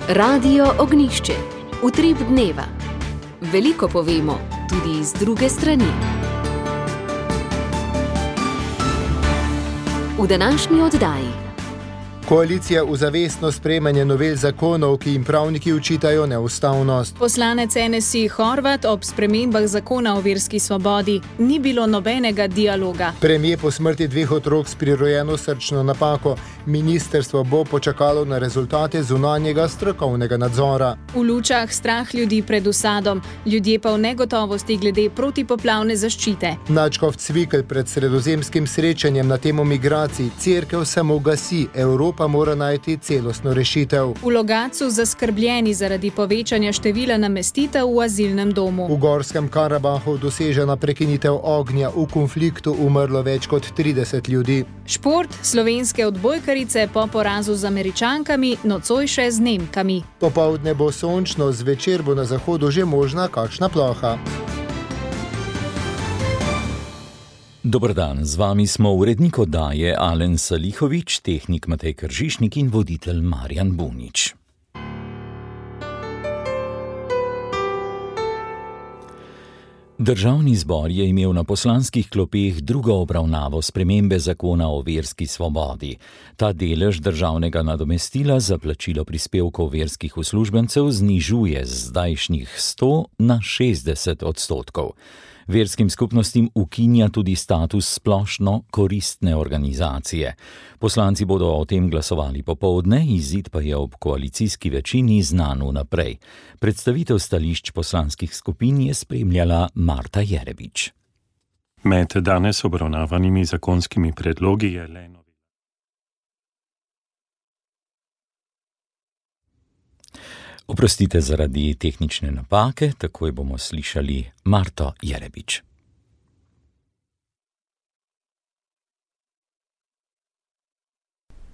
Radio Ognišče, utrip dneva. Veliko povemo, tudi iz druge strani. V današnji oddaji. Koalicija v zavestno sprejemanje novel zakonov, ki jim pravniki očitajo neustavnost. Poslanec NSI Horvat ob spremembah zakona o verski svobodi ni bilo nobenega dialoga. Premier po smrti 2 otrok s prirojeno srčno napako. Ministrstvo bo počakalo na rezultate zunanjega strokovnega nadzora. V Lučah strah ljudi pred usadom, ljudje pa v negotovosti glede protipoplavne zaščite. Nadškof Cvikl pred sredozemskim srečanjem na temo migracij. Cerkev samo gasi, Evropa mora najti celostno rešitev. V Logatcu zaskrbljeni zaradi povečanja števila namestitev v azilnem domu. V Gorskem Karabahu dosežena prekinitev ognja, v konfliktu umrlo več kot 30 ljudi. Šport, slovenske odbojkarice po porazu z Američankami, nocoj še z Nemkami. Popoldne bo sončno, zvečer bo na zahodu že možna kakšna ploha. Dober dan, z vami smo urednik oddaje Alen Salihovič, tehnik Matej Kržišnik in voditelj Marjan Bunič. Državni zbor je imel na poslanskih klopeh drugo obravnavo spremembe zakona o verski svobodi. Ta delež državnega nadomestila za plačilo prispevkov verskih uslužbencev znižuje z zdajšnjih 100 na 60%. Verskim skupnostim ukinja tudi status splošno koristne organizacije. Poslanci bodo o tem glasovali popoldne, izid pa je ob koalicijski večini znan vnaprej. Predstavitev stališč poslanskih skupin je spremljala Marta Jerebič. Med danes obravnavanimi zakonskimi predlogi je le Oprostite zaradi tehnične napake, takoj bomo slišali Marto Jerebič.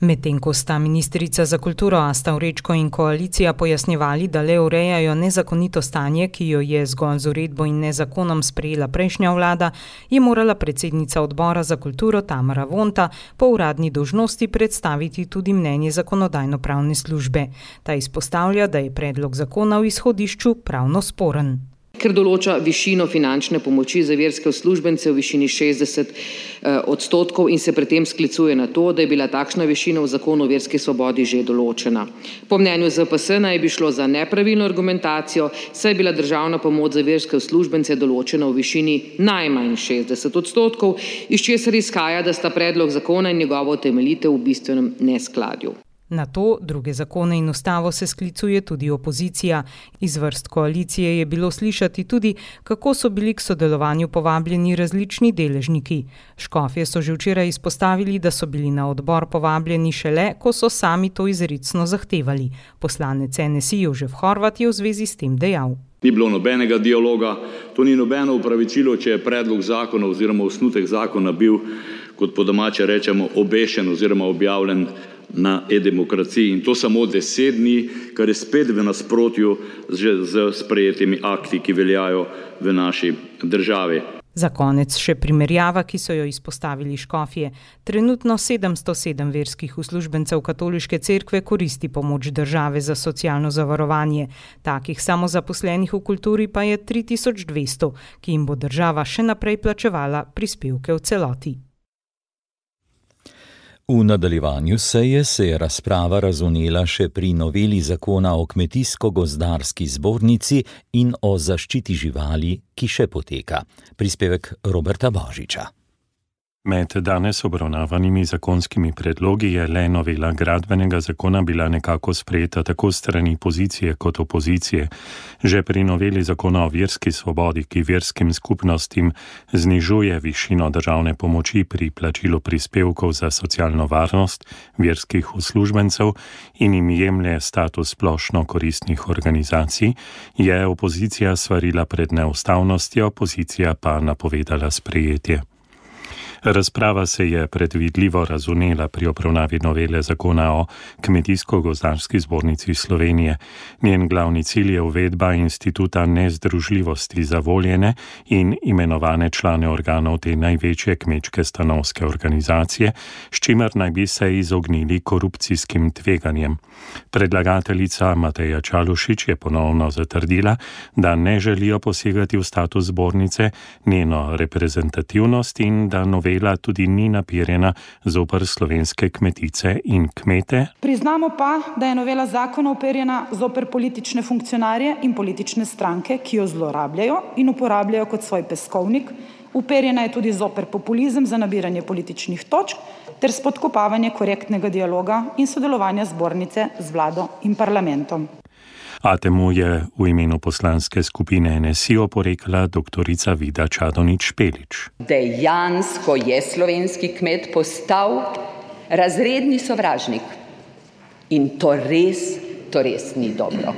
Medtem ko sta ministrica za kulturo Asta Vrečko in koalicija pojasnjevali, da le urejajo nezakonito stanje, ki jo je zgolj z uredbo in nezakonom sprejela prejšnja vlada, je morala predsednica odbora za kulturo Tamara Vonta po uradni dolžnosti predstaviti tudi mnenje zakonodajno-pravne službe. Ta izpostavlja, da je predlog zakona v izhodišču pravno sporen. Ker določa višino finančne pomoči za verske uslužbence v višini 60% in se pri tem sklicuje na to, da je bila takšna višina v zakonu o verski svobodi že določena. Po mnenju ZPS naj bi šlo za nepravilno argumentacijo, saj je bila državna pomoč za verske uslužbence določena v višini najmanj 60%, iz česar izhaja, da sta predlog zakona in njegovo utemeljitev v bistvenem neskladju. Na to, druge zakone in ustavo se sklicuje tudi opozicija. Iz vrst koalicije je bilo slišati tudi, kako so bili k sodelovanju povabljeni različni deležniki. Škofje so že včeraj izpostavili, da so bili na odbor povabljeni šele, ko so sami to izrecno zahtevali. Poslanec NSI Jožef Horvat je v zvezi s tem dejal. Ni bilo nobenega dialoga, to ni nobeno upravičilo, če je predlog zakona oziroma osnutek zakona bil, kot po domače rečemo, obešen oziroma objavljen na e-demokraciji in to samo 10 dni, kar je spet v nasprotju z sprejetimi akti, ki veljajo v naši državi. Za konec še primerjava, ki so jo izpostavili škofje. Trenutno 707 verskih uslužbencev katoliške cerkve koristi pomoč države za socialno zavarovanje. Takih samozaposlenih v kulturi pa je 3200, ki jim bo država še naprej plačevala prispevke v celoti. V nadaljevanju seje se je razprava razvnela še pri noveli zakona o kmetijsko-gozdarski zbornici in o zaščiti živali, ki še poteka. Prispevek Roberta Božiča. Med danes obravnavanimi zakonskimi predlogi je le novela gradbenega zakona bila nekako sprejeta tako strani pozicije kot opozicije. Že pri noveli zakona o verski svobodi, ki verskim skupnostim znižuje višino državne pomoči pri plačilu prispevkov za socialno varnost verskih uslužbencev in jim jemlje status splošno koristnih organizacij, je opozicija svarila pred neustavnostjo, pozicija pa napovedala sprejetje. Razprava se je predvidljivo razvnela pri obravnavi novele zakona o Kmetijsko-gozdarski zbornici Slovenije. Njen glavni cilj je uvedba instituta nezdružljivosti za voljene in imenovane člane organov te največje kmečke stanovske organizacije, s čimer naj bi se izognili korupcijskim tveganjem. Predlagateljica Mateja Čalušić je ponovno zatrdila, da ne želijo posegati v status zbornice, njeno reprezentativnost in da novela tudi ni napirjena zoper slovenske kmetice in kmete. Priznamo pa, da je novela zakona uperjena zoper politične funkcionarje in politične stranke, ki jo zlorabljajo in uporabljajo kot svoj peskovnik. Uperjena je tudi zoper populizem za nabiranje političnih točk ter spodkopavanje korektnega dialoga in sodelovanja zbornice z vlado in parlamentom. A temu je v imenu poslanske skupine NSI oporekala doktorica Vida Čadonič-Špelič. Dejansko je slovenski kmet postal razredni sovražnik. In to res ni dobro.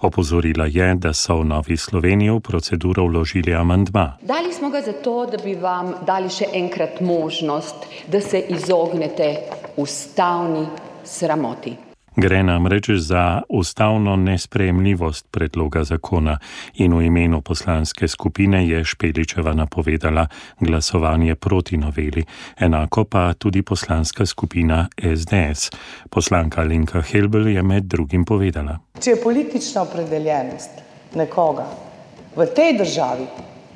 Opozorila je, da so v Novi Sloveniji v proceduro vložili amandma. Dali smo ga zato, da bi vam dali še enkrat možnost, da se izognete ustavni sramoti. Gre namreč za ustavno nesprejemljivost predloga zakona in v imenu poslanske skupine je Špeličeva napovedala glasovanje proti noveli, enako pa tudi poslanska skupina SDS. Poslanka Alenka Helbl je med drugim povedala. Če je politična opredeljenost nekoga v tej državi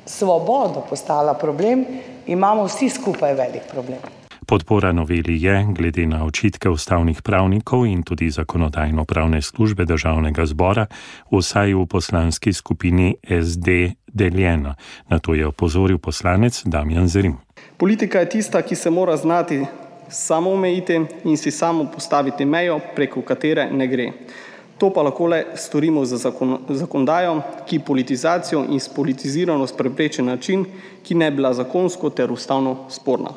svobodo postala problem, imamo vsi skupaj velik problem. Podpora noveli je, glede na očitke ustavnih pravnikov in tudi zakonodajno-pravne službe Državnega zbora, vsaj v poslanski skupini SD deljena. Na to je opozoril poslanec Damjan Zrim. Politika je tista, ki se mora znati samo omejiti in si samo postaviti mejo, preko katere ne gre. To pa lahko le storimo z zakonodajo, ki politizacijo in spolitiziranost prepreči način, ki ne bi bila zakonsko ter ustavno sporna.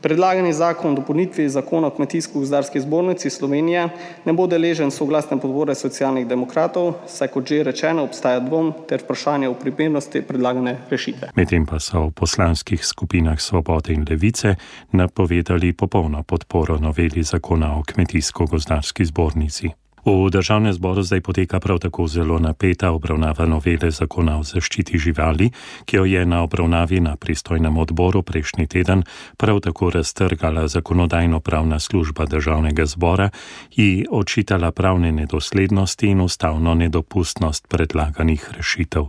Predlagani zakon o dopolnitvi zakona o Kmetijsko-gozdarski zbornici Slovenije ne bo deležen soglasne podpore Socialnih demokratov, saj kot že rečeno obstaja dvom ter vprašanje o primernosti predlagane rešitve. Medtem pa so v poslanskih skupinah Svobode in Levice napovedali popolno podporo noveli zakona o Kmetijsko-gozdarski zbornici. V Državnem zboru zdaj poteka prav tako zelo napeta obravnava novele zakona o zaščiti živali, ki jo je na obravnavi na pristojnem odboru prejšnji teden prav tako raztrgala zakonodajno-pravna služba Državnega zbora in očitala pravne nedoslednosti in ustavno nedopustnost predlaganih rešitev.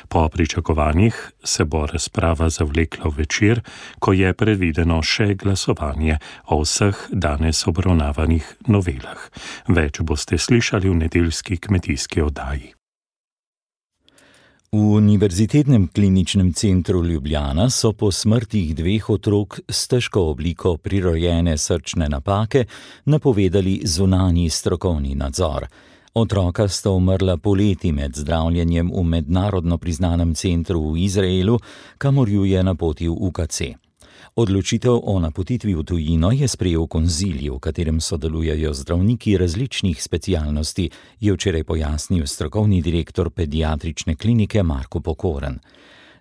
Po pričakovanjih se bo razprava zavlekla v večer, ko je predvideno še glasovanje o vseh danes obravnavanih novelah. Več boste slišali v nedeljski kmetijski oddaji. V Univerzitetnem kliničnem centru Ljubljana so po smrtih 2 otrok s težko obliko prirojene srčne napake napovedali zunanji strokovni nadzor. Otroka sta umrla poleti med zdravljenjem v mednarodno priznanem centru v Izraelu, kamor ju je napotil UKC. Odločitev o napotitvi v tujino je sprejel konzilij, v katerem sodelujejo zdravniki različnih specialnosti, je včeraj pojasnil strokovni direktor pediatrične klinike Marko Pokoren.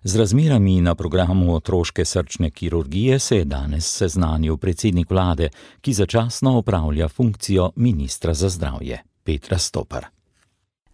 Z razmerami na programu otroške srčne kirurgije se je danes seznanil predsednik vlade, ki začasno opravlja funkcijo ministra za zdravje, Petra Stopar.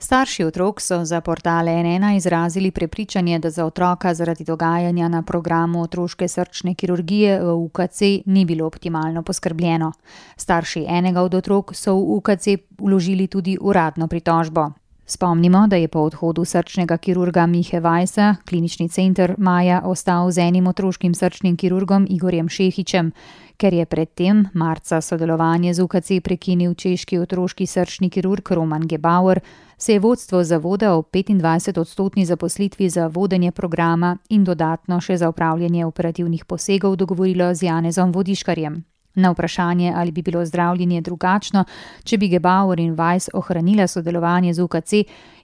Starši otrok so za portal N1 izrazili prepričanje, da za otroka zaradi dogajanja na programu otroške srčne kirurgije v UKC ni bilo optimalno poskrbljeno. Starši enega od otrok so v UKC vložili tudi uradno pritožbo. Spomnimo, da je po odhodu srčnega kirurga Mihe Vajsa klinični center maja ostal z enim otroškim srčnim kirurgom Igorjem Šehićem. Ker je predtem marca sodelovanje z UKC prekinil češki otroški srčni kirurg Roman Gebauer, se je vodstvo zavoda o 25% zaposlitvi za vodenje programa in dodatno še za upravljanje operativnih posegov dogovorilo z Janezom Vodiškarjem. Na vprašanje, ali bi bilo zdravljenje drugačno, če bi Gebauer in Weiss ohranila sodelovanje z UKC,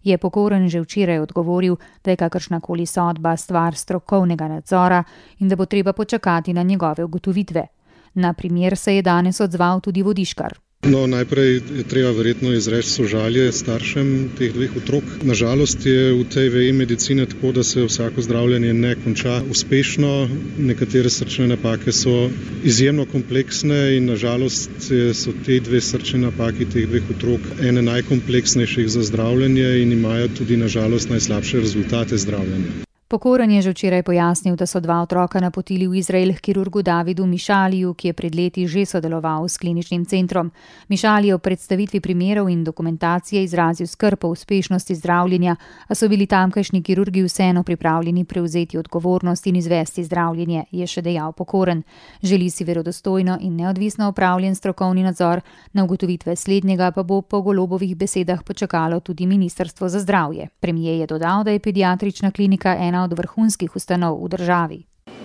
je Pokoren že včeraj odgovoril, da je kakršnakoli sodba stvar strokovnega nadzora in da bo treba počakati na njegove ugotovitve. Na primer se je danes odzval tudi Vodiškar. No, najprej je treba verjetno izreči sožalje staršem teh dveh otrok. Nažalost je v tej veji medicine tako, da se vsako zdravljenje ne konča uspešno. Nekatere srčne napake so izjemno kompleksne in nažalost so te dve srčne napaki teh dveh otrok ene najkompleksnejših za zdravljenje in imajo tudi nažalost najslabše rezultate zdravljenja. Pokoren je že včeraj pojasnil, da so dva otroka napotili v Izrael k kirurgu Davidu Mišaliju, ki je pred leti že sodeloval s kliničnim centrom. Mišali je v predstavitvi primerov in dokumentacije izrazil skrb o uspešnosti zdravljenja, a so bili tamkajšnji kirurgi vseeno pripravljeni prevzeti odgovornost in izvesti zdravljenje, je še dejal Pokoren. Želi si verodostojno in neodvisno opravljen strokovni nadzor, na ugotovitve slednjega pa bo po Golobovih besedah počakalo tudi Ministrstvo za zdravje. Premier je dodal, da je pediatrična klinika ena od vrhunskih ustanov v državi.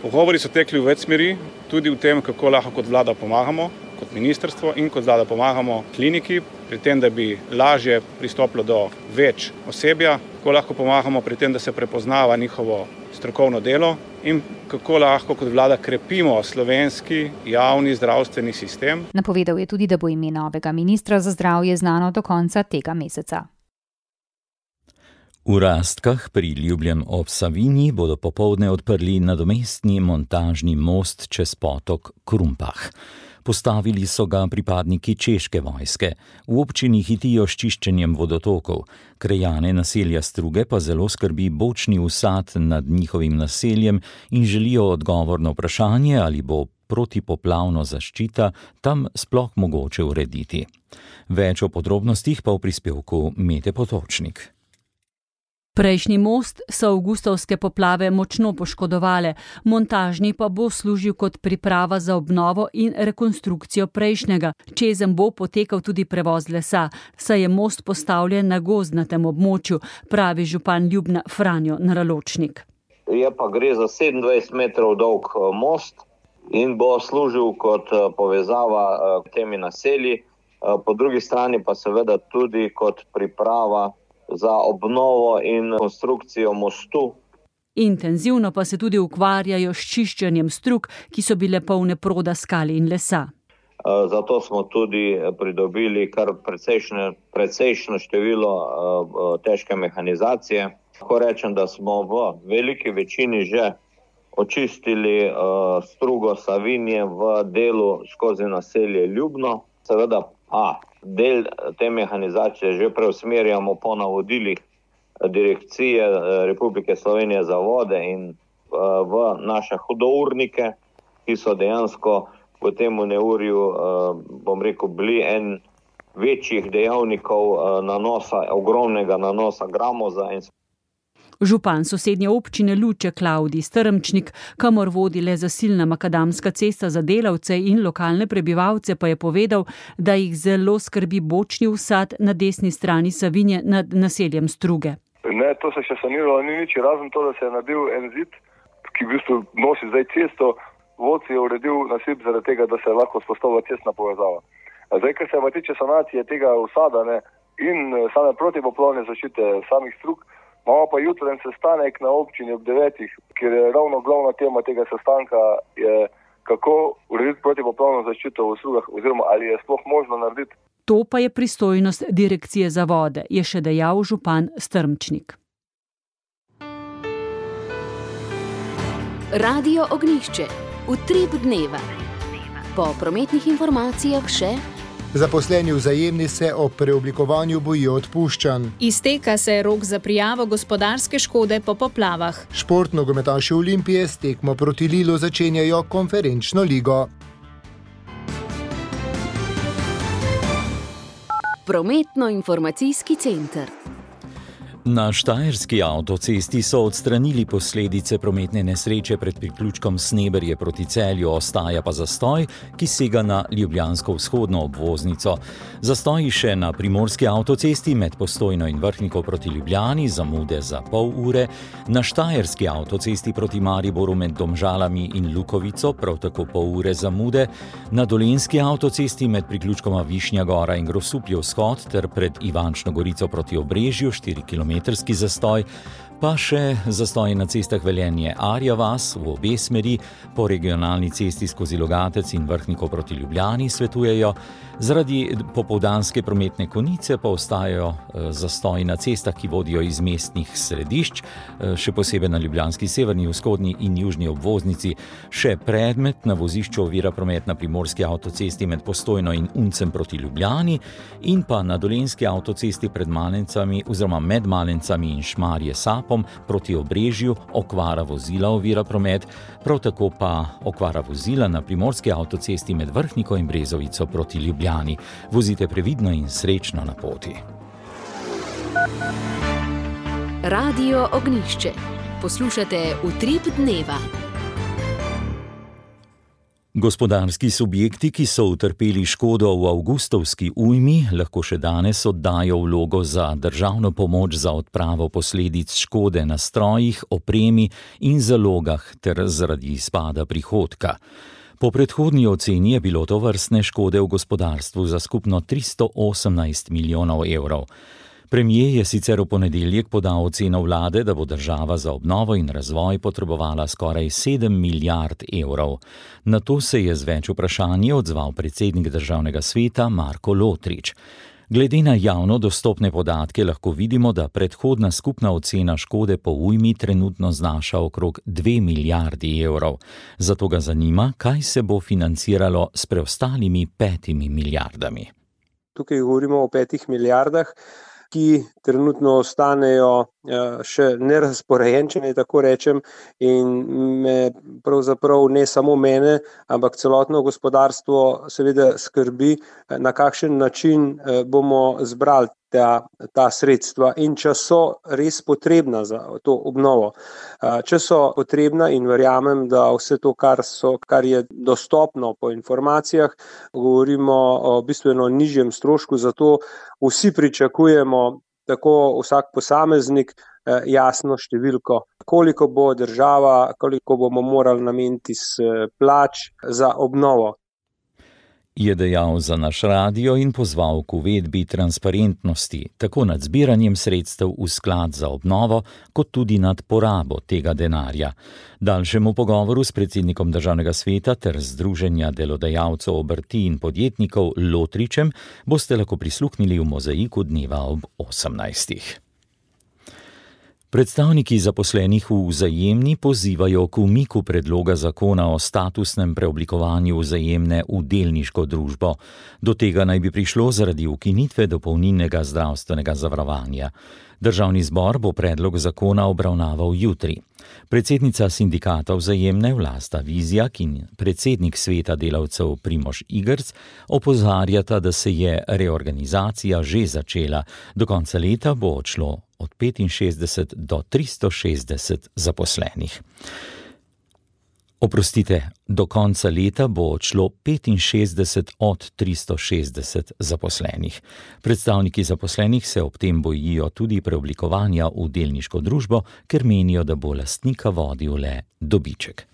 Pogovori so tekli v več smeri, tudi v tem, kako lahko kot vlada pomagamo, kot ministrstvo in kot vlada pomagamo kliniki, pri tem, da bi lažje pristopilo do več osebja, kako lahko pomagamo pri tem, da se prepoznava njihovo strokovno delo in kako lahko kot vlada krepimo slovenski javni zdravstveni sistem. Napovedal je tudi, da bo ime novega ministra za zdravje znano do konca tega meseca. V Rastkah pri Ljubljani ob Savinji bodo popoldne odprli nadomestni montažni most čez potok Krumpah. Postavili so ga pripadniki češke vojske. V občini hitijo s čiščenjem vodotokov. Krajane naselja Struge pa zelo skrbi bočni usad nad njihovim naseljem in želijo odgovor na vprašanje, ali bo protipoplavno zaščita tam sploh mogoče urediti. Več o podrobnostih pa v prispevku Mete Potočnik. Prejšnji most so avgustovske poplave močno poškodovale, montažni pa bo služil kot priprava za obnovo in rekonstrukcijo prejšnjega. Čezenj bo potekal tudi prevoz lesa, saj je most postavljen na gozdnatem območju, pravi župan Ljubna Franjo Naraločnik. Gre za 27 metrov dolg most in bo služil kot povezava temi naselji, po drugi strani pa seveda tudi kot priprava za obnovo in konstrukcijo mostu. Intenzivno pa se tudi ukvarjajo s čiščenjem strug, ki so bile polne proda skal in lesa. Zato smo tudi pridobili kar precejšno število težke mehanizacije. Lahko rečem, da smo v veliki večini že očistili strugo Savinje v delu skozi naselje Ljubno. Seveda del te mehanizacije že preusmerjamo po navodilih Direkcije Republike Slovenije za vode in v naše hudournike, ki so dejansko v tem neurju, bili en večjih dejavnikov ogromnega nanosa gramoza. Župan sosednje občine Luče Klavdij Strmčnik, kamor vodi le zasilna makadamska cesta za delavce in lokalne prebivalce, pa je povedal, da jih zelo skrbi bočni usad na desni strani Savinje nad naseljem Struge. Ne, to se še saniralo ni nič, razen to, da se je naredil en zid, ki v bistvu nosi zdaj cesto. Vod je uredil nasip zaradi tega, da se lahko vzpostavlja cestna povezava. Zdaj, ker se tiče sanacije tega usada in same protipoplavne zaščite samih strug, imamo pa jutren sestanek na občini ob 9, kjer je ravno glavna tema tega sestanka, je kako urediti protipoplavno zaščito v strugah oziroma ali je sploh možno narediti. To pa je pristojnost Direkcije za vode, je še dejal župan Strmčnik. Radio Ognjišče. Utrip dneva. Po prometnih informacijah še: zaposleni Vzajemni se ob preoblikovanju bojijo odpuščanj. Izteka se rok za prijavo gospodarske škode po poplavah. Športnogometaši Olimpije s tekmo proti Lilu začenjajo konferenčno ligo. Prometno-informacijski center. Na štajerski avtocesti so odstranili posledice prometne nesreče pred priključkom Sneberje proti Celju, ostaja pa zastoj, ki sega na ljubljansko vzhodno obvoznico. Zastoji še na primorski avtocesti med Postojno in Vrhnikov proti Ljubljani, zamude za pol ure, na štajerski avtocesti proti Mariboru med Domžalami in Lukovico, prav tako pol ure zamude, na dolenjski avtocesti med priključkoma Višnja Gora in Grosupljev vzhod ter pred Ivančno Gorico proti Obrežju 4 km kilometrski zastoj, pa še zastoj na cestah Velenje-Arja vas v obe smeri, po regionalni cesti skozi Logatec in Vrhniko proti Ljubljani svetujejo. Zaradi popoldanske prometne konice pa ostajajo zastoji na cestah, ki vodijo iz mestnih središč, še posebej na ljubljanski severni, vzhodni in južni obvoznici. Še predmet na vozišču ovira promet na primorski avtocesti med Postojno in Uncem proti Ljubljani in pa na dolenjski avtocesti pred Malencami oziroma med Malencami in Šmarje-Sapom proti Obrežju okvara vozila ovira promet, prav tako pa okvara vozila na primorski avtocesti med Vrhniko in Brezovico proti Ljubljani. Vozite previdno in srečno na poti. Radio Ognjišče. Poslušate Utrip dneva. Gospodarski subjekti, ki so utrpeli škodo v avgustovski ujmi, lahko še danes oddajo vlogo za državno pomoč za odpravo posledic škode na strojih, opremi in zalogah ter zaradi izpada prihodka. Po predhodni oceni je bilo tovrstne škode v gospodarstvu za skupno 318 milijonov evrov. Premier je sicer v ponedeljek podal oceno vlade, da bo država za obnovo in razvoj potrebovala skoraj 7 milijard evrov. Na to se je z več vprašanji odzval predsednik državnega sveta Marko Lotrič. Glede na javno dostopne podatke lahko vidimo, da predhodna skupna ocena škode po ujmi trenutno znaša okrog 2 milijardi evrov. Zato ga zanima, kaj se bo financiralo s preostalimi 5 milijardami. Tukaj govorimo o 5 milijardah, ki trenutno ostanejo še nerazporejeni, če naj tako rečem, in me pravzaprav ne samo mene, ampak celotno gospodarstvo seveda skrbi, na kakšen način bomo zbrali ta sredstva in če so res potrebna za to obnovo. Če so potrebna in verjamem, da vse to, kar je dostopno po informacijah, govorimo o bistveno nižjem strošku, zato vsi pričakujemo, tako vsak posameznik, jasno številko, koliko bo država, koliko bomo morali nameniti iz plač za obnovo. Je dejal za naš radio in pozval k uvedbi transparentnosti, tako nad zbiranjem sredstev v sklad za obnovo, kot tudi nad porabo tega denarja. Daljšemu pogovoru s predsednikom državnega sveta ter Združenja delodajalcev obrti in podjetnikov Lotričem boste lahko prisluhnili v Mozaiku dneva ob 18. Predstavniki zaposlenih v Vzajemni pozivajo k umiku predloga zakona o statusnem preoblikovanju Vzajemne v delniško družbo. Do tega naj bi prišlo zaradi ukinitve dopolnilnega zdravstvenega zavarovanja. Državni zbor bo predlog zakona obravnaval jutri. Predsednica sindikata Vzajemne Vlasta Vizjak in predsednik sveta delavcev Primož Igrc opozarjata, da se je reorganizacija že začela. Do konca leta bo odšlo od 65 do 360 zaposlenih. Do konca leta bo odšlo 65 od 360 zaposlenih. Predstavniki zaposlenih se ob tem bojijo tudi preoblikovanja v delniško družbo, ker menijo, da bo lastnika vodil le dobiček.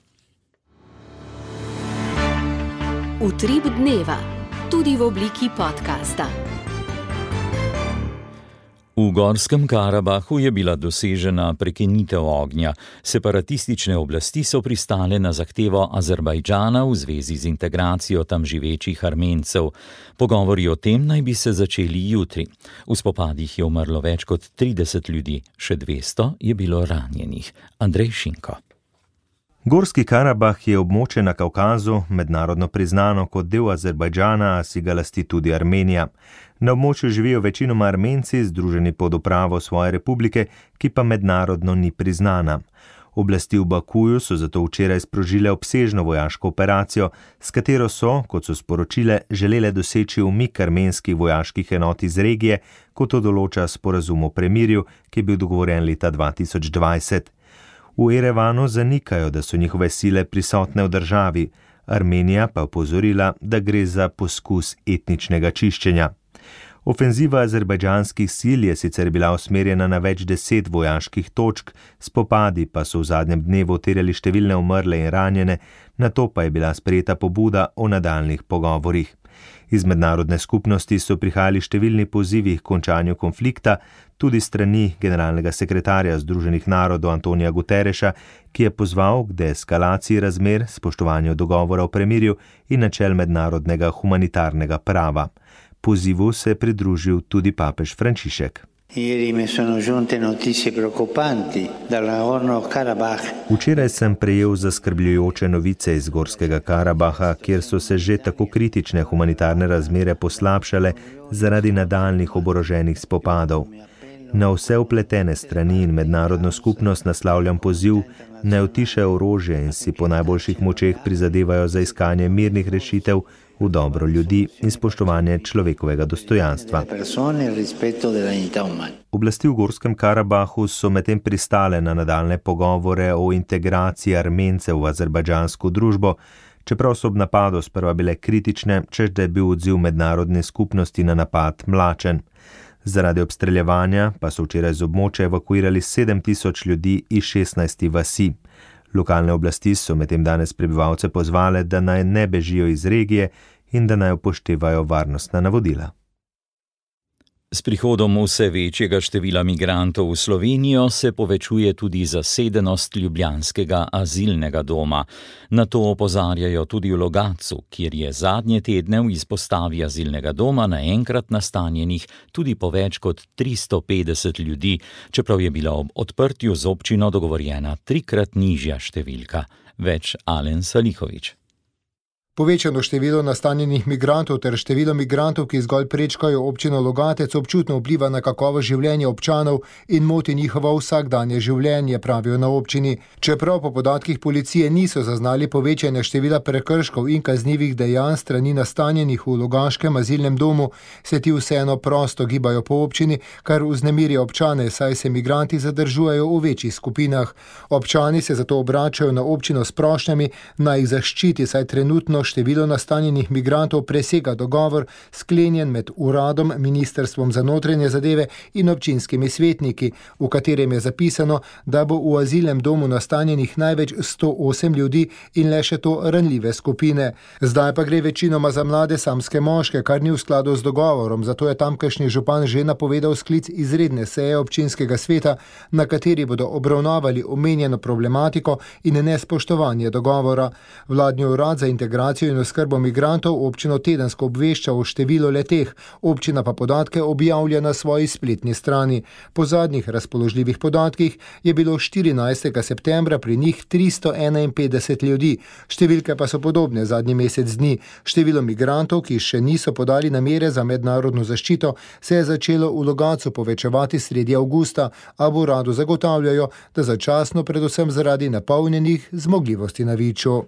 Utrip dneva, tudi v obliki podcasta. V Gorskem Karabahu je bila dosežena prekinitev ognja. Separatistične oblasti so pristale na zahtevo Azerbajdžana v zvezi z integracijo tam živečih Armencev. Pogovori o tem naj bi se začeli jutri. V spopadih je umrlo več kot 30 ljudi, še 200 je bilo ranjenih. Andrej Šinko. Gorski Karabah je območje na Kavkazu, mednarodno priznano kot del Azerbajdžana, a si ga lasti tudi Armenija. Na območju živijo večinoma Armenci, združeni pod upravo svoje republike, ki pa mednarodno ni priznana. Oblasti v Bakuju so zato včeraj sprožile obsežno vojaško operacijo, s katero so, kot so sporočile, želele doseči umik armenskih vojaških enot iz regije, kot to določa sporazum o premirju, ki je bil dogovorjen leta 2020. V Erevanu zanikajo, da so njihove sile prisotne v državi. Armenija pa opozorila, da gre za poskus etničnega čiščenja. Ofenziva azerbajdžanskih sil je sicer bila usmerjena na več 10 vojaških točk, spopadi pa so v zadnjem dnevu terjali številne umrle in ranjene, nato pa je bila sprejeta pobuda o nadaljnjih pogovorih. Iz mednarodne skupnosti so prihajali številni pozivi k končanju konflikta, tudi strani generalnega sekretarja Združenih narodov Antonija Guterreša, ki je pozval k deeskalaciji razmer, spoštovanju dogovora o premirju in načel mednarodnega humanitarnega prava. Pozivu se je pridružil tudi papež Frančišek. Včeraj sem prejel zaskrbljujoče novice iz Gorskega Karabaha, kjer so se že tako kritične humanitarne razmere poslabšale zaradi nadaljnjih oboroženih spopadov. Na vse vpletene strani in mednarodno skupnost naslavljam poziv, naj utišajo orožje in si po najboljših močeh prizadevajo za iskanje mirnih rešitev v dobro ljudi in spoštovanje človekovega dostojanstva. Oblasti v Gorskem Karabahu so medtem pristale na nadaljne pogovore o integraciji Armencev v azerbajdžansko družbo, čeprav so ob napadu sprva bile kritične, češ da je bil odziv mednarodne skupnosti na napad mlačen. Zaradi obstreljevanja pa so včeraj z območja evakuirali 7000 ljudi iz 16 vasi. Lokalne oblasti so medtem danes prebivalce pozvale, da naj ne bežijo iz regije in da naj upoštevajo varnostna navodila. S prihodom vse večjega števila migrantov v Slovenijo se povečuje tudi zasedenost ljubljanskega azilnega doma. Na to opozarjajo tudi v Logatcu, kjer je zadnje tedne v izpostavi azilnega doma naenkrat nastanjenih tudi po več kot 350 ljudi, čeprav je bila ob odprtju z občino dogovorjena 3-krat nižja številka. Več Alen Salihovič. Povečano število nastanjenih migrantov ter število migrantov, ki zgolj prečkajo občino Logatec, občutno vpliva na kakovost življenja občanov in moti njihovo vsakdanje življenje, pravijo na občini. Čeprav po podatkih policije niso zaznali povečanja števila prekrškov in kaznivih dejanj strani nastanjenih v Logaškem azilnem domu, se ti vseeno prosto gibajo po občini, kar vznemirja občane, saj se migranti zadržujejo v večjih skupinah. Občani se zato obračajo na občino s prošnjami, naj jih zaščiti, saj trenutno število nastanjenih migrantov presega dogovor sklenjen med uradom, Ministrstvom za notranje zadeve in občinskimi svetniki, v katerem je zapisano, da bo v azilnem domu nastanjenih največ 108 ljudi in le še to ranljive skupine. Zdaj pa gre večinoma za mlade samske moške, kar ni v skladu z dogovorom, zato je tamkajšnji župan že napovedal sklic izredne seje občinskega sveta, na kateri bodo obravnavali omenjeno problematiko in nespoštovanje dogovora. Vladni urad za integracijo in oskrbo migrantov občino tedensko obvešča o številu leteh, občina pa podatke objavlja na svoji spletni strani. Po zadnjih razpoložljivih podatkih je bilo 14. septembra pri njih 351 ljudi, številke pa so podobne zadnji mesec dni. Število migrantov, ki še niso podali namere za mednarodno zaščito, se je začelo v Logatcu povečevati sredi avgusta, a v uradu zagotavljajo, da začasno predvsem zaradi napolnjenih zmogljivosti na Viču.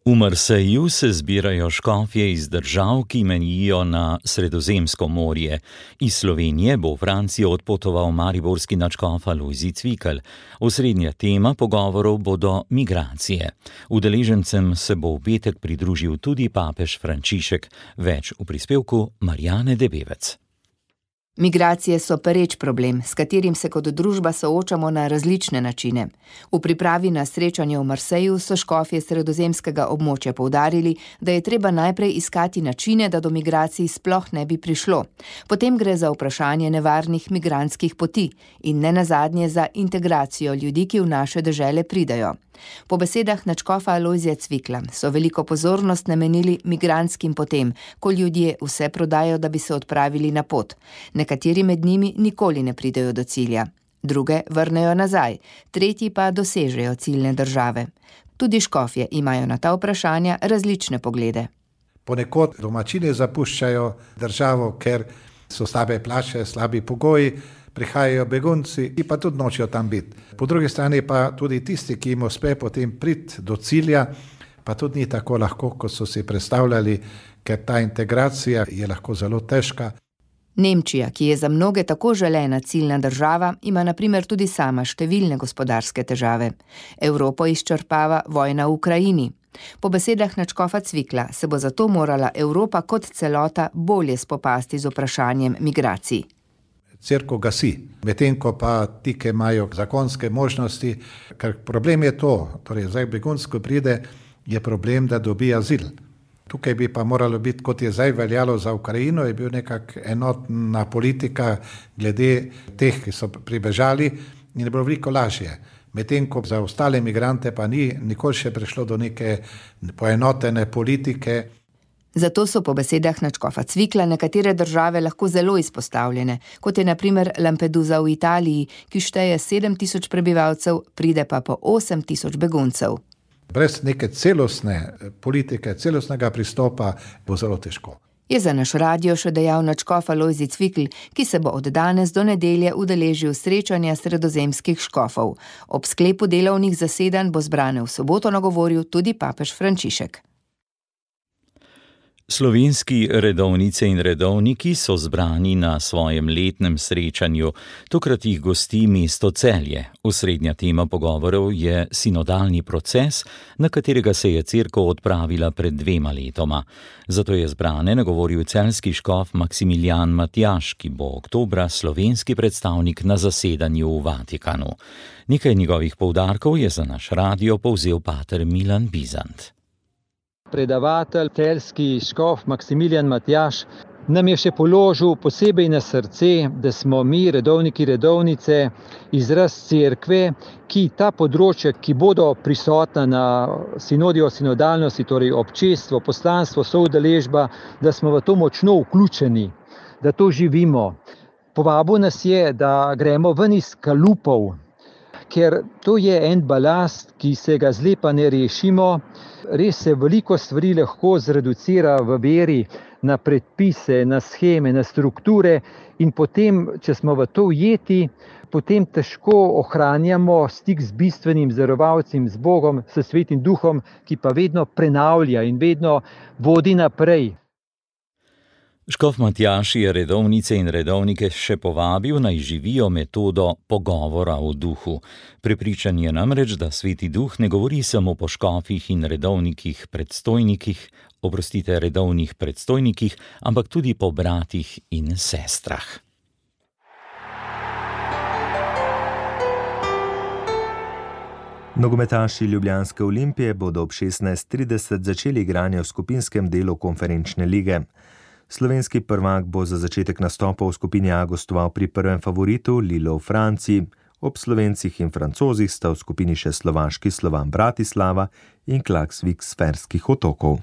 V Marseju se zbirajo škofje iz držav, ki mejijo na Sredozemsko morje. Iz Slovenije bo v Francijo odpotoval mariborski nadškof Alojzij Cvikl. Osrednja tema pogovorov bodo migracije. Udeležencem se bo v petek pridružil tudi papež Frančišek. Več v prispevku Marjane Debevec. Migracije so pereč problem, s katerim se kot družba soočamo na različne načine. V pripravi na srečanje v Marseju so škofje sredozemskega območja poudarili, da je treba najprej iskati načine, da do migracij sploh ne bi prišlo. Potem gre za vprašanje nevarnih migrantskih poti in ne nazadnje za integracijo ljudi, ki v naše dežele pridajo. Po besedah nadškofa Alojzija Cvikla so veliko pozornost namenili migrantskim potem, ko ljudje vse prodajo, da bi se odpravili na pot. Nekateri med njimi nikoli ne pridejo do cilja, druge vrnejo nazaj, tretji pa dosežejo ciljne države. Tudi škofje imajo na ta vprašanja različne poglede. Ponekod domačini zapuščajo državo, ker so slabe plače, slabi pogoji, prihajajo begunci in pa tudi nočejo tam biti. Po drugi strani pa tudi tisti, ki jim uspe potem priti do cilja, pa tudi ni tako lahko, kot so si predstavljali, ker ta integracija je lahko zelo težka. Nemčija, ki je za mnoge tako želena ciljna država, ima na primer tudi sama številne gospodarske težave. Evropo izčrpava vojna v Ukrajini. Po besedah nadškofa Cvikla se bo zato morala Evropa kot celota bolje spopasti z vprašanjem migracij. Cerkev gasi, medtem ko pa ti, ki imajo zakonske možnosti, ker problem je to, torej zdaj begunsko pride, je problem, da dobi azil. Tukaj bi pa moralo biti, kot je zdaj veljalo za Ukrajino, je bil nekak enotna politika glede teh, ki so pribežali in je bilo veliko lažje. Medtem ko za ostale migrante pa ni nikoli še prišlo do neke poenotene politike. Zato so po besedah nadškofa Cvikla nekatere države lahko zelo izpostavljene, kot je na primer Lampedusa v Italiji, ki šteje 7.000 prebivalcev, pride pa po 8.000 beguncev. Brez neke celostne politike, celostnega pristopa bo zelo težko. Je za naš radio še dejal nadškof Alojzij Cvikl, ki se bo od danes do nedelje udeležil srečanja sredozemskih škofov. Ob sklepu delovnih zasedanj bo zbrane v soboto nagovoril tudi papež Frančišek. Slovenski redovnice in redovniki so zbrani na svojem letnem srečanju. Tokrat jih gosti mesto Celje. Osrednja tema pogovorov je sinodalni proces, na katerega se je cerkev odpravila pred 2 letoma. Zato je zbrane nagovoril celjski škof Maksimilijan Matjaž, ki bo oktobra slovenski predstavnik na zasedanju v Vatikanu. Nekaj njegovih poudarkov je za naš radio povzel pater Milan Bizant. Predavatelj, celjski škof Maksimilijan Matjaž nam je še položil posebej na srce, da smo mi, redovniki, redovnice, izraz cerkve, ki ta področja, ki bodo prisotna na sinodi o sinodalnosti, torej občestvo, poslanstvo, soudeležba, da smo v to močno vključeni, da to živimo. Povabil nas je, da gremo ven iz kalupov, ker to je en balast, ki se ga zlepa ne rešimo. Res se veliko stvari lahko zreducira v veri na predpise, na sheme, na strukture in potem, če smo v to ujeti, potem težko ohranjamo stik z bistvenim darovalcem, z Bogom, s Svetim Duhom, ki pa vedno prenavlja in vedno vodi naprej. Škof Matjaž je redovnice in redovnike še povabil, naj živijo metodo pogovora v duhu. Prepričan je namreč, da Sveti Duh ne govori samo po škofih in redovnih predstojnikih, ampak tudi po bratih in sestrah. Nogometaši ljubljanske Olimpije bodo ob 16.30 začeli igranje v skupinskem delu konferenčne lige. Slovenski prvak bo za začetek nastopov v skupini A gostoval pri prvem favoritu Lilo v Franciji. Ob Slovencih in Francozih sta v skupini še slovaški Slovan Bratislava in Klaksvik s Ferskih otokov.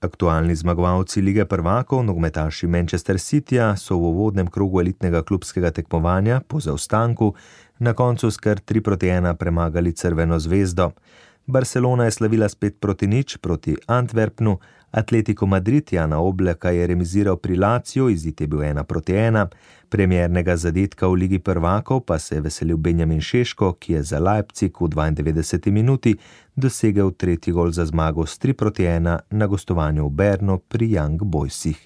Aktualni zmagovalci lige prvakov, nogometaši Manchester Cityja, so v uvodnem krogu elitnega klubskega tekmovanja po zaostanku na koncu s kar 3-1 premagali Crveno zvezdo. Barcelona je slavila s 5-0 proti Antwerpnu, Atletico Madrid Jana Oblaka je remiziral pri Laziju, izid je bil 1-1. Premiernega zadetka v ligi prvakov pa se je veselil Benjamin Šeško, ki je za Leipzig v 92. minuti dosegel 3. gol za zmago s 3-1 na gostovanju v Bernu pri Young Boysih.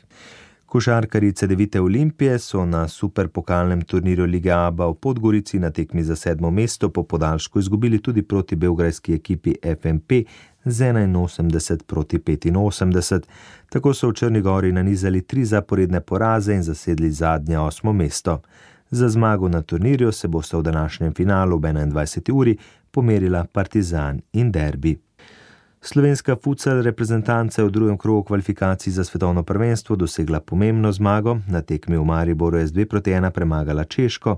Košarkarji Cedevite Olimpije so na superpokalnem turnirju Lige ABA v Podgorici na tekmi za 7. mesto po podaljšku izgubili tudi proti beograjski ekipi FMP z 81-85. Tako so v Črni Gori nanizali 3 zaporedne poraze in zasedli zadnje 8. mesto. Za zmago na turnirju se bosta v današnjem finalu ob 21. uri pomerila Partizan in Derbi. Slovenska futsal reprezentanca je v drugem krogu kvalifikacij za svetovno prvenstvo dosegla pomembno zmago. Na tekmi v Mariboru je z 2-1 premagala Češko.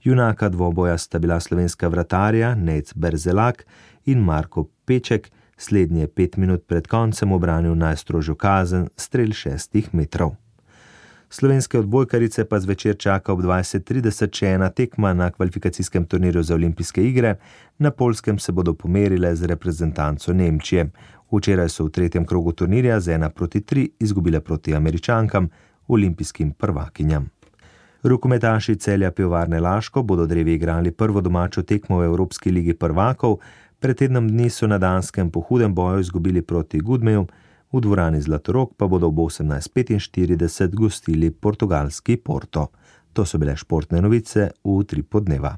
Junaka dvoboja sta bila slovenska vratarja Nec Berzelak in Marko Peček. Slednji je 5 minut pred koncem obranil najstrožjo kazen, strel 6 metrov. Slovenske odbojkarice pa zvečer čaka ob 20.30 še ena tekma na kvalifikacijskem turnirju za olimpijske igre. Na Poljskem se bodo pomerile z reprezentanco Nemčije. Včeraj so v 3. krogu turnirja z 1-3 izgubile proti Američankam, olimpijskim prvakinjam. Rokometaši Celja Pivovarne Laško bodo drevi igrali prvo domačo tekmo v Evropski ligi prvakov. Pred tednom dni so na Danskem po hudem boju izgubili proti Gudmeju, v dvorani Zlatorog pa bodo ob 18.45 gostili portugalski Porto. To so bile športne novice v Utripu dneva.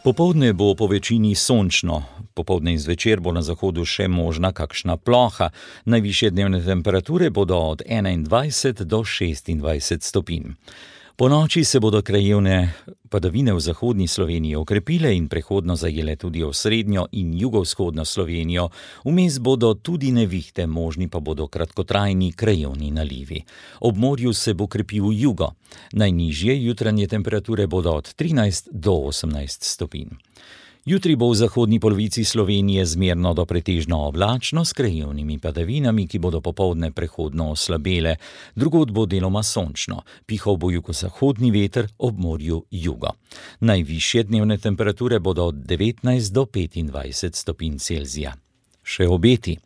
Popoldne bo po večini sončno. Popoldne in zvečer bo na zahodu še možna kakšna ploha. Najvišje dnevne temperature bodo od 21 do 26 stopinj. Po noči se bodo krajevne padavine v zahodni Sloveniji okrepile in prehodno zajele tudi osrednjo in jugovzhodno Slovenijo. Vmes bodo tudi nevihte, možni pa bodo kratkotrajni krajevni nalivi. Ob morju se bo krepil jugo. Najnižje jutranje temperature bodo od 13 do 18 stopinj. Jutri bo v zahodni polovici Slovenije zmerno do pretežno oblačno s krajevnimi padavinami, ki bodo popoldne prehodno oslabele. Drugod bo deloma sončno. Pihal bo jugozahodni veter, ob morju jugo. Najvišje dnevne temperature bodo od 19 do 25 stopinj Celzija. Še obeti.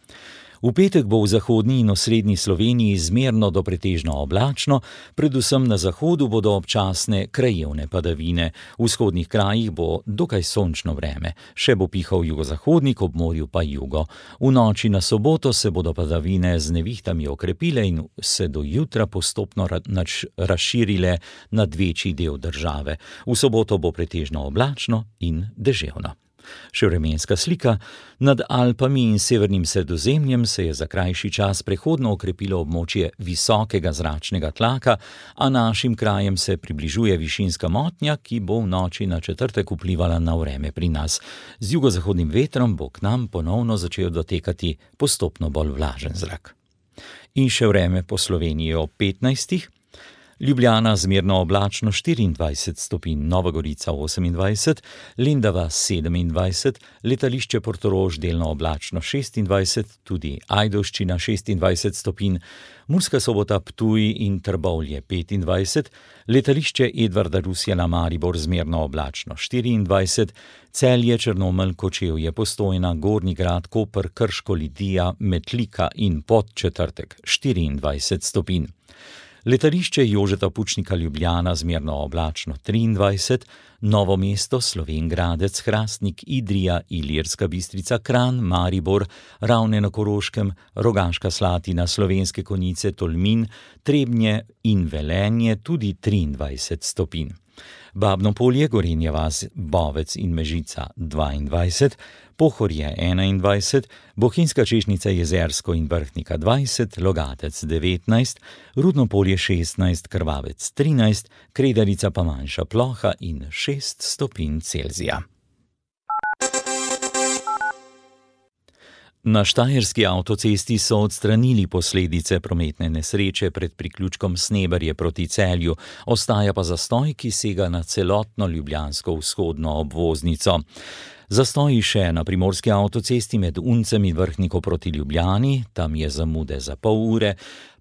V petek bo v zahodni in osrednji Sloveniji zmerno do pretežno oblačno, predvsem na zahodu bodo občasne krajevne padavine. V vzhodnih krajih bo dokaj sončno vreme, še bo pihal jugozahodnik, ob morju pa jugo. V noči na soboto se bodo padavine z nevihtami okrepile in se do jutra postopno razširile nad večji del države. V soboto bo pretežno oblačno in deževno. Še vremenska slika. Nad Alpami in severnim Sredozemljem se je za krajši čas prehodno okrepilo območje visokega zračnega tlaka, a našim krajem se približuje višinska motnja, ki bo v noči na četrtek vplivala na vreme pri nas. Z jugozahodnim vetrom bo k nam ponovno začel dotekati postopno bolj vlažen zrak. In še vreme po Sloveniji ob 15. Ljubljana zmerno oblačno 24 stopinj, Nova Gorica 28, Lendava 27, letališče Portorož delno oblačno 26, tudi Ajdovščina 26 stopinj, Murska Sobota, Ptuj in Trbovlje 25, letališče Edvarda Rusjana Maribor zmerno oblačno 24, Celje, Črnomelj, Kočevje, Postojna, Gornji Grad, Koper, Krško, Lidija, Metlika in Podčetrtek 24 stopinj. Letališče Jožeta Pučnika Ljubljana zmerno oblačno 23, Novo mesto, Slovenj Gradec, Hrastnik, Idrija, Ilirska Bistrica, Kranj, Maribor, Ravne na Koroškem, Rogaška Slatina, Slovenske Konjice, Tolmin, Trebnje in Velenje tudi 23 stopinj. Babno Polje, Gorenja vas, Bovec in Mežica 22, Pohorje 21, Bohinjska Češnjica, Jezersko in Vrhnika 20, Logatec 19, Rudno Polje 16, Krvavec 13, Kredarica pa manjša ploha in 6 stopinj Celzija. Na štajerski avtocesti so odstranili posledice prometne nesreče pred priključkom Sneberje proti Celju, ostaja pa zastoj, ki sega na celotno ljubljansko vzhodno obvoznico. Zastoji še na primorski avtocesti med Uncem in Vrhniko proti Ljubljani, tam je zamude za pol ure,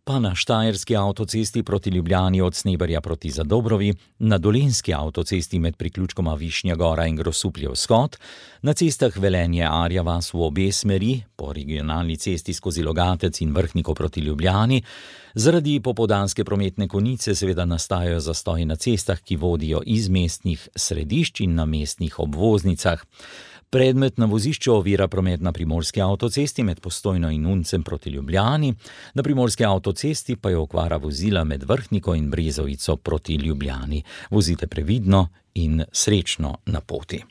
pa na štajerski avtocesti proti Ljubljani od Sneberja proti Zadobrovi, na dolenjski avtocesti med priključkoma Višnja Gora in Grosuplje vzhod, na cestah Velenje Arja vas v obe smeri, po regionalni cesti skozi Logatec in Vrhniko proti Ljubljani. Zaradi popoldanske prometne konice seveda nastajajo zastoji na cestah, ki vodijo iz mestnih središč in na mestnih obvoznicah. Predmet na vozišču ovira promet na primorski avtocesti med Postojno in Uncem proti Ljubljani, na primorski avtocesti pa je okvara vozila med Vrhniko in Brezovico proti Ljubljani. Vozite previdno in srečno na poti.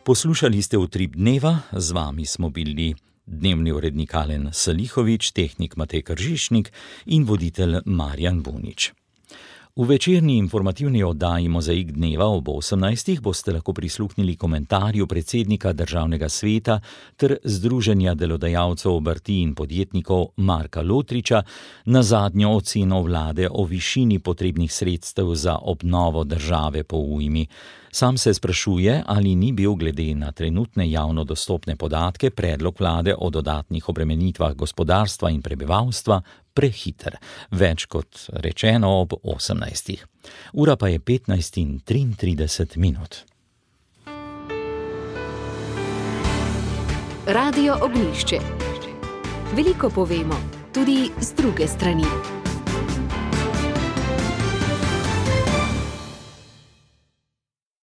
Poslušali ste Utrip dneva, z vami smo bili dnevni urednik Alen Salihovič, tehnik Matej Kržišnik in voditelj Marjan Bunič. V večerni informativni oddaji Mozaik dneva ob 18. boste lahko prisluhnili komentarju predsednika Državnega sveta ter Združenja delodajalcev obrti in podjetnikov Marka Lotriča na zadnjo oceno vlade o višini potrebnih sredstev za obnovo države po ujmi. Sam se sprašuje, ali ni bil glede na trenutne javno dostopne podatke predlog vlade o dodatnih obremenitvah gospodarstva in prebivalstva prehiter. Več kot rečeno ob 18. Ura pa je 15:33. Radio Ognjišče. Veliko povemo, tudi z druge strani.